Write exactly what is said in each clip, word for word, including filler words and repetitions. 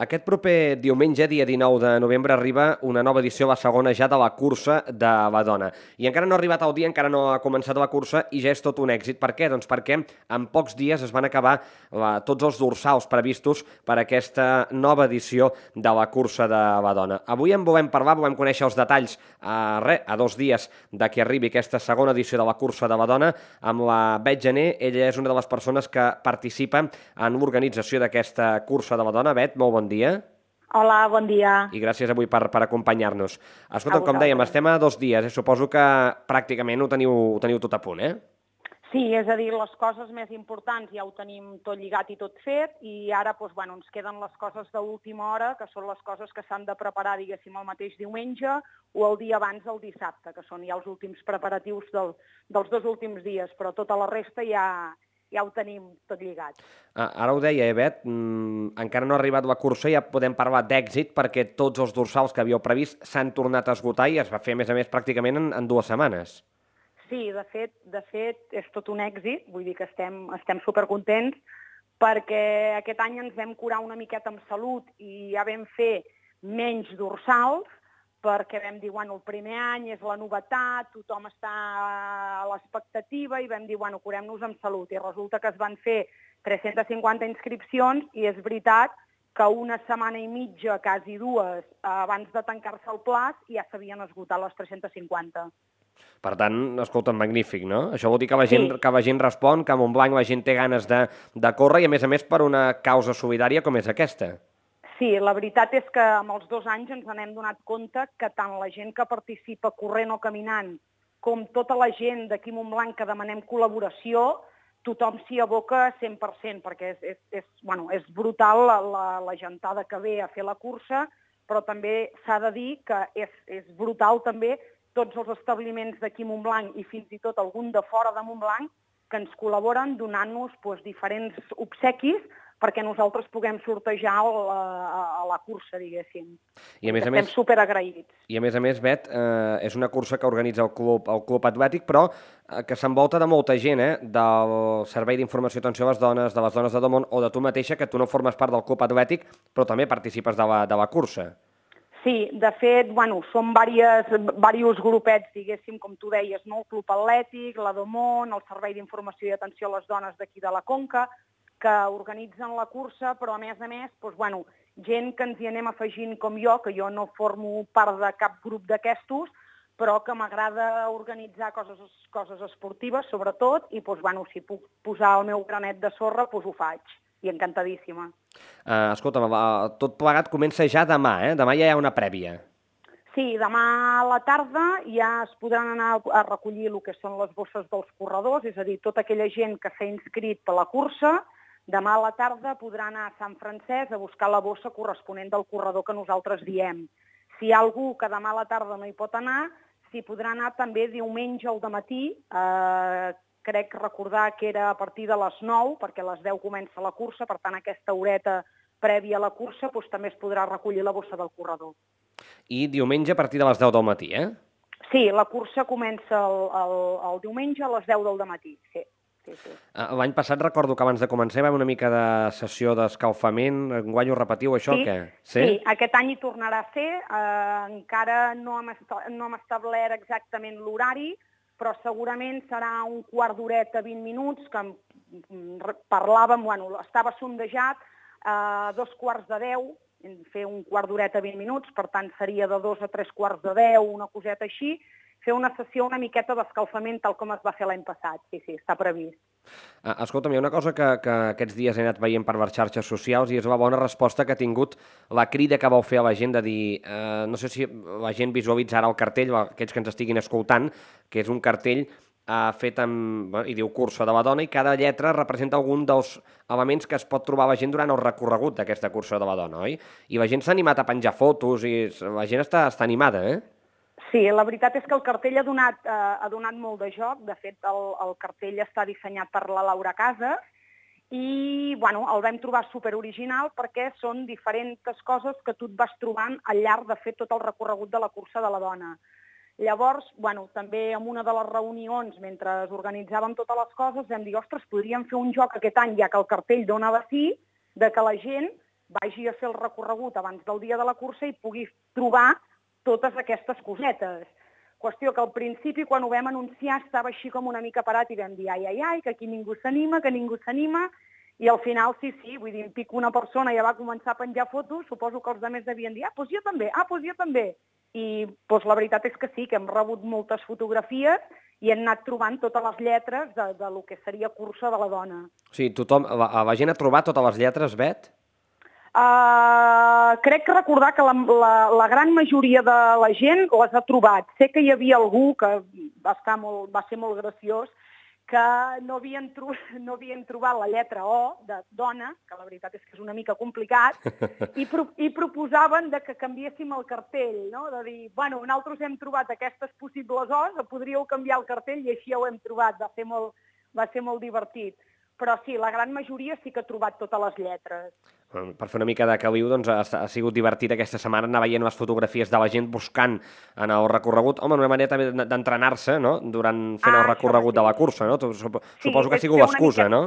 Aquest proper diumenge, dia dinou de novembre, arriba una nova edició, la segona ja de la cursa de Badona. I encara no ha arribat el dia, encara no ha començat la cursa i ja és tot un èxit. Per què? Doncs perquè en pocs dies es van acabar la, tots els dorsals previstos per a aquesta nova edició de la cursa de Badona. Avui en volem parlar, volem conèixer els detalls a, re, a dos dies de que arribi aquesta segona edició de la cursa de Badona amb la Bet Gené. Ella és una de les persones que participa en l'organització d'aquesta cursa de Badona. Bet, molt bon dia. Hola, bon dia. I gràcies avui per, per acompanyar-nos. Escolta, A com dèiem, vosaltres. estem a dos dies, eh? Suposo que pràcticament ho teniu, ho teniu tot a punt, eh? Sí, és a dir, les coses més importants ja ho tenim tot lligat i tot fet i ara doncs, bueno, ens queden les coses d'última hora, que són les coses que s'han de preparar, diguéssim, el mateix diumenge o el dia abans del dissabte, que són ja els últims preparatius del, dels dos últims dies, però tota la resta ja, ja ho tenim tot lligat. Ah, ara ho deia, eh, Bet? Mm, encara no ha arribat la cursa i ja podem parlar d'èxit perquè tots els dorsals que havíeu previst s'han tornat a esgotar i es va fer, a més a més, pràcticament en, en dues setmanes. Sí, de fet, de fet, és tot un èxit, vull dir que estem, estem supercontents, perquè aquest any ens vam curar una miqueta amb salut i ja vam fer menys dorsals, perquè vam dir, bueno, el primer any és la novetat, tothom està a l'expectativa i vam dir, bueno, curem-nos amb salut. I resulta que es van fer tres-centes cinquanta inscripcions i és veritat que una setmana i mitja, quasi dues, abans de tancar-se el plaç, ja s'havien esgotat les tres-centes cinquanta. Per tant, escolta, magnífic, no? Això vol dir que la gent, Sí. que la gent respon, que a Montblanc la gent té ganes de, de córrer i, a més a més, per una causa solidària com és aquesta. Sí, la veritat és que amb els dos anys ens n'hem donat compte que tant la gent que participa corrent o caminant com tota la gent d'aquí a Montblanc que demanem col·laboració, tothom s'hi aboca cent per cent, perquè és, és, és, bueno, és brutal la, la, la gentada que ve a fer la cursa, però també s'ha de dir que és, és brutal també tots els establiments d'aquí a Montblanc i fins i tot algun de fora de Montblanc que ens col·laboren donant-nos doncs, diferents obsequis perquè nosaltres puguem sortejar a, a la cursa, diguéssim. I a més a Estem més, superagraïts. I a més a més, Bet, eh, és una cursa que organitza el Club, el Club Atlètic, però eh, que s'envolta de molta gent, eh? Del Servei d'Informació i Atenció a les Dones, de les Dones de Domont, o de tu mateixa, que tu no formes part del Club Atlètic, però també participes de la, de la cursa. Sí, de fet, bueno, són diversos grupets, diguéssim, com tu deies, no? El Club Atlètic, la Domont, el Servei d'Informació i Atenció a les Dones d'aquí de la Conca, que organitzen la cursa, però a més a més, doncs, bueno, gent que ens hi anem afegint com jo, que jo no formo part de cap grup d'aquestos, però que m'agrada organitzar coses, coses esportives, sobretot, i doncs, bueno, si puc posar el meu granet de sorra, doncs ho faig. I encantadíssima. Uh, escolta'm, tot plegat comença ja demà, eh? Demà ja hi ha una prèvia. Sí, demà a la tarda ja es podran anar a recollir el que són les bosses dels corredors, és a dir, tota aquella gent que s'ha inscrit per la cursa, demà a la tarda podrà anar a Sant Francesc a buscar la bossa corresponent del corredor que nosaltres diem. Si hi ha algú que demà a la tarda no hi pot anar, s'hi podrà anar també diumenge al dematí, eh, crec recordar que era a partir de les nou, perquè a les deu comença la cursa, per tant aquesta horeta prèvia a la cursa doncs, també es podrà recollir la bossa del corredor. I diumenge a partir de les deu del matí, eh? Sí, la cursa comença el, el, el diumenge a les deu del matí, sí. sí, sí. L'any passat recordo que abans de començar hi va haver una mica de sessió d'escalfament, enguany ho repetiu això sí, o què? Sí? sí, aquest any hi tornarà a ser, eh, encara no hem, no hem establert exactament l'horari, però segurament serà un quart d'horeta, vint minuts, que parlàvem, bueno, estava sondejat a dos quarts de deu, fer un quart d'horeta, vint minuts, per tant seria de dos a tres quarts de deu, una coseta així, fer una sessió una miqueta d'escalfament tal com es va fer l'any passat, sí, sí, està previst. Uh, escolta'm, hi ha una cosa que, que aquests dies he anat veient per les xarxes socials i és la bona resposta que ha tingut la crida que vau fer a la gent de dir, uh, no sé si la gent visualitzarà el cartell, aquells que ens estiguin escoltant, que és un cartell uh, fet amb, bueno, i diu cursa de la dona, i cada lletra representa algun dels elements que es pot trobar la gent durant el recorregut d'aquesta cursa de la dona, oi? I la gent s'ha animat a penjar fotos i la gent està, està animada, eh? Sí, la veritat és que el cartell ha donat, eh, ha donat molt de joc. De fet, el, el cartell està dissenyat per la Laura Casas i bueno, el vam trobar superoriginal perquè són diferents coses que tu et vas trobant al llarg de fer tot el recorregut de la cursa de la dona. Llavors, bueno, també en una de les reunions, mentre organitzàvem totes les coses, vam dir, ostres, podríem fer un joc aquest any, ja que el cartell dona de sí, de que la gent vagi a fer el recorregut abans del dia de la cursa i pugui trobar totes aquestes cosetes. Qüestió que al principi, quan ho vam anunciar, estava així com una mica parat i vam dir ai, ai, ai, que aquí ningú s'anima, que ningú s'anima, i al final sí, sí, vull dir, pico una persona ja va començar a penjar fotos, suposo que els altres devien dir, ah, doncs jo també, ah, doncs jo també. I doncs la veritat és que sí, que hem rebut moltes fotografies i hem anat trobant totes les lletres de, de lo que seria cursa de la dona. O sigui, tothom, la, la gent ha trobat totes les lletres, Bet? Uh, crec que recordar que la, la, la gran majoria de la gent les ha trobat. Sé que hi havia algú que va, estar molt, va ser molt graciós, que no havien, tro no havien trobat la lletra O de dona, que la veritat és que és una mica complicat, i, pro i proposaven de que canviéssim el cartell, no? De dir, bueno, nosaltres hem trobat aquestes possibles O's, podríeu canviar el cartell i així ja ho hem trobat. Va ser molt, va ser molt divertit. Però sí, la gran majoria sí que ha trobat totes les lletres. Per fer una mica de caliu, doncs ha, ha sigut divertit aquesta setmana anar veient les fotografies de la gent buscant en el recorregut. Home, una manera també d'entrenar-se, no?, durant fent ah, el recorregut de la cursa, no? Suposo sí, que ha sigut l'excusa, no?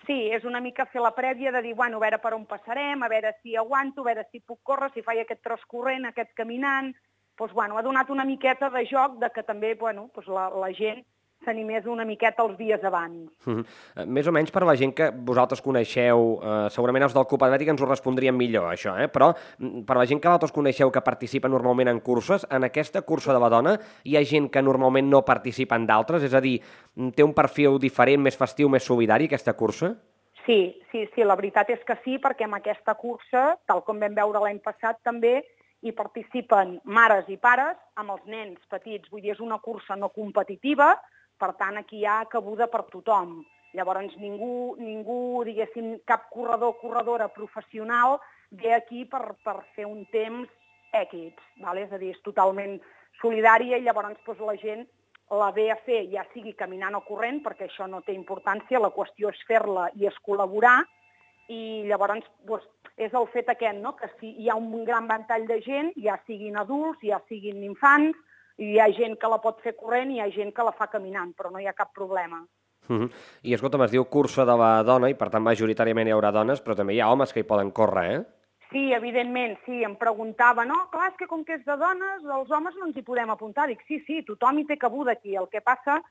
Sí, és una mica fer la prèvia de dir, bueno, a veure per on passarem, a veure si aguanto, a veure si puc córrer, si faig aquest tros corrent, aquest caminant. Doncs, bueno, ha donat una miqueta de joc de que també, bueno, doncs la, la gent s'animés una miqueta els dies abans. Mm -hmm. Més o menys per la gent que vosaltres coneixeu, eh, segurament els del Club Atlètic ens ho respondrien millor, això, eh? Però per la gent que vosaltres coneixeu que participa normalment en curses, en aquesta cursa de la dona hi ha gent que normalment no participa en d'altres? És a dir, té un perfil diferent, més festiu, més solidari, aquesta cursa? Sí, sí, sí, la veritat és que sí, perquè en aquesta cursa, tal com vam veure l'any passat també, hi participen mares i pares amb els nens petits. Vull dir, és una cursa no competitiva, per tant, aquí hi ha cabuda per tothom. Llavors, ningú, ningú diguéssim, cap corredor o corredora professional ve aquí per, per fer un temps èquids, ¿vale? És a dir, és totalment solidària i llavors doncs, la gent la ve a fer, ja sigui caminant o corrent, perquè això no té importància, la qüestió és fer-la i és col·laborar, i llavors doncs, és el fet aquest, no?, que si hi ha un gran ventall de gent, ja siguin adults, ja siguin infants, hi ha gent que la pot fer corrent i hi ha gent que la fa caminant, però no hi ha cap problema. Uh -huh. I escolta'm, es diu cursa de la dona i per tant majoritàriament hi haurà dones, però també hi ha homes que hi poden córrer, eh? Sí, evidentment, sí, em preguntava, no, clar, és que com que és de dones, els homes no ens hi podem apuntar. Dic, sí, sí, tothom hi té cabuda aquí. El que passa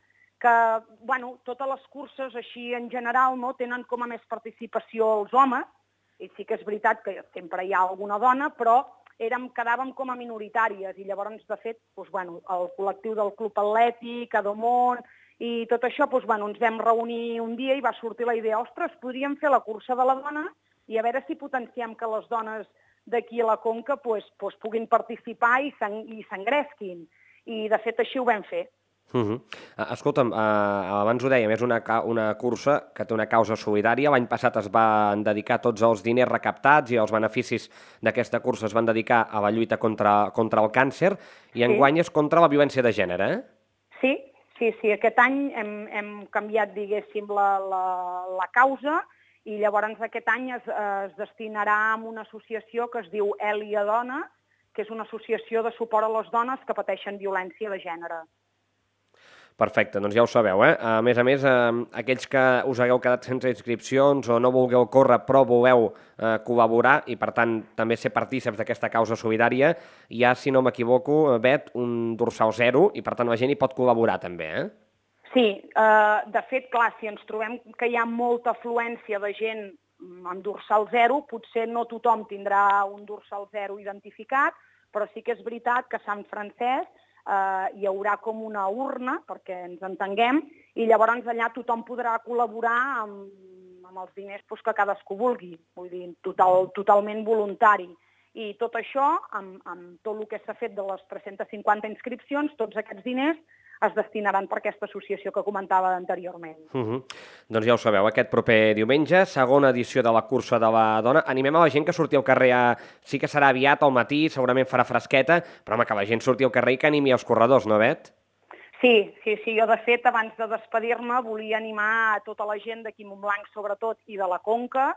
que, bueno, totes les curses així en general no tenen com a més participació els homes, i sí que és veritat que sempre hi ha alguna dona, però érem, quedàvem com a minoritàries i llavors, de fet, doncs, bueno, el col·lectiu del Club Atlètic, Adomont i tot això, doncs, bueno, ens vam reunir un dia i va sortir la idea, ostres, podríem fer la cursa de la dona i a veure si potenciem que les dones d'aquí a la Conca doncs, doncs, puguin participar i s'engresquin. I, de fet, així ho vam fer. Uh -huh. Escolta'm, uh, abans ho dèiem, és una, una cursa que té una causa solidària. L'any passat es van dedicar tots els diners recaptats i els beneficis d'aquesta cursa es van dedicar a la lluita contra, contra el càncer i enguany sí. és contra la violència de gènere, eh? Sí, sí, sí. Aquest any hem, hem canviat, diguéssim, la, la, la causa i llavors aquest any es, es destinarà a una associació que es diu Èlia Dona, que és una associació de suport a les dones que pateixen violència de gènere. Perfecte, doncs ja ho sabeu, eh? A més a més, eh, aquells que us hagueu quedat sense inscripcions o no vulgueu córrer però voleu eh, col·laborar i, per tant, també ser partíceps d'aquesta causa solidària, hi ha, si no m'equivoco, Bet, un dorsal zero i, per tant, la gent hi pot col·laborar també, eh? Sí, eh, de fet, clar, si ens trobem que hi ha molta afluència de gent amb dorsal zero, potser no tothom tindrà un dorsal zero identificat, però sí que és veritat que a Sant Francesc Uh, hi haurà com una urna, perquè ens entenguem, i llavors allà tothom podrà col·laborar amb, amb els diners pues, que cadascú vulgui, vull dir, total, totalment voluntari. I tot això, amb, amb tot el que s'ha fet de les tres-centes cinquanta inscripcions, tots aquests diners es destinaran per aquesta associació que comentava anteriorment. Uh -huh. Doncs ja ho sabeu, aquest proper diumenge, segona edició de la cursa de la dona. Animem a la gent que surti al carrer, a... sí que serà aviat al matí, segurament farà fresqueta, però home, que la gent surti al carrer i que animi els corredors, no, Bet? Sí, sí, sí. Jo, de fet, abans de despedir-me, volia animar a tota la gent d'aquí Montblanc, sobretot, i de la Conca,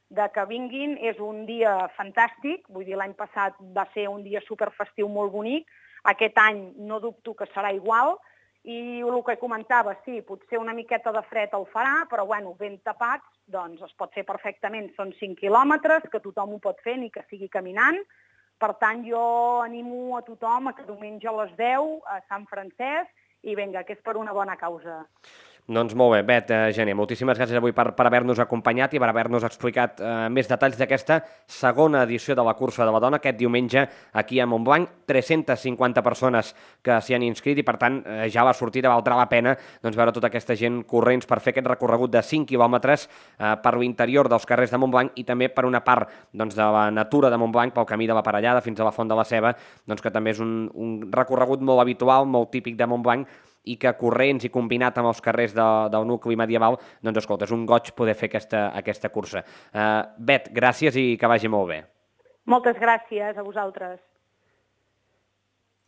de que vinguin. És un dia fantàstic, vull dir, l'any passat va ser un dia superfestiu molt bonic, aquest any no dubto que serà igual, I el que comentava, sí, potser una miqueta de fred el farà, però bueno, ben tapats, doncs es pot fer perfectament. Són cinc quilòmetres, que tothom ho pot fer, ni que sigui caminant. Per tant, jo animo a tothom a que diumenge a les deu a Sant Francesc i vinga, que és per una bona causa. Doncs molt bé, Bet eh, Gené, moltíssimes gràcies avui per, per haver-nos acompanyat i per haver-nos explicat eh, més detalls d'aquesta segona edició de la Cursa de la Dona aquest diumenge aquí a Montblanc. tres-centes cinquanta persones que s'hi han inscrit i, per tant, eh, ja la sortida valdrà la pena doncs, veure tota aquesta gent corrents per fer aquest recorregut de cinc quilòmetres eh, per l'interior dels carrers de Montblanc i també per una part doncs, de la natura de Montblanc, pel camí de la Parellada fins a la Font de la Ceba, doncs, que també és un, un recorregut molt habitual, molt típic de Montblanc, i que corrents i combinat amb els carrers de, del nucli medieval, doncs escolta, és un goig poder fer aquesta, aquesta cursa. Uh, Bet, gràcies i que vagi molt bé. Moltes gràcies a vosaltres.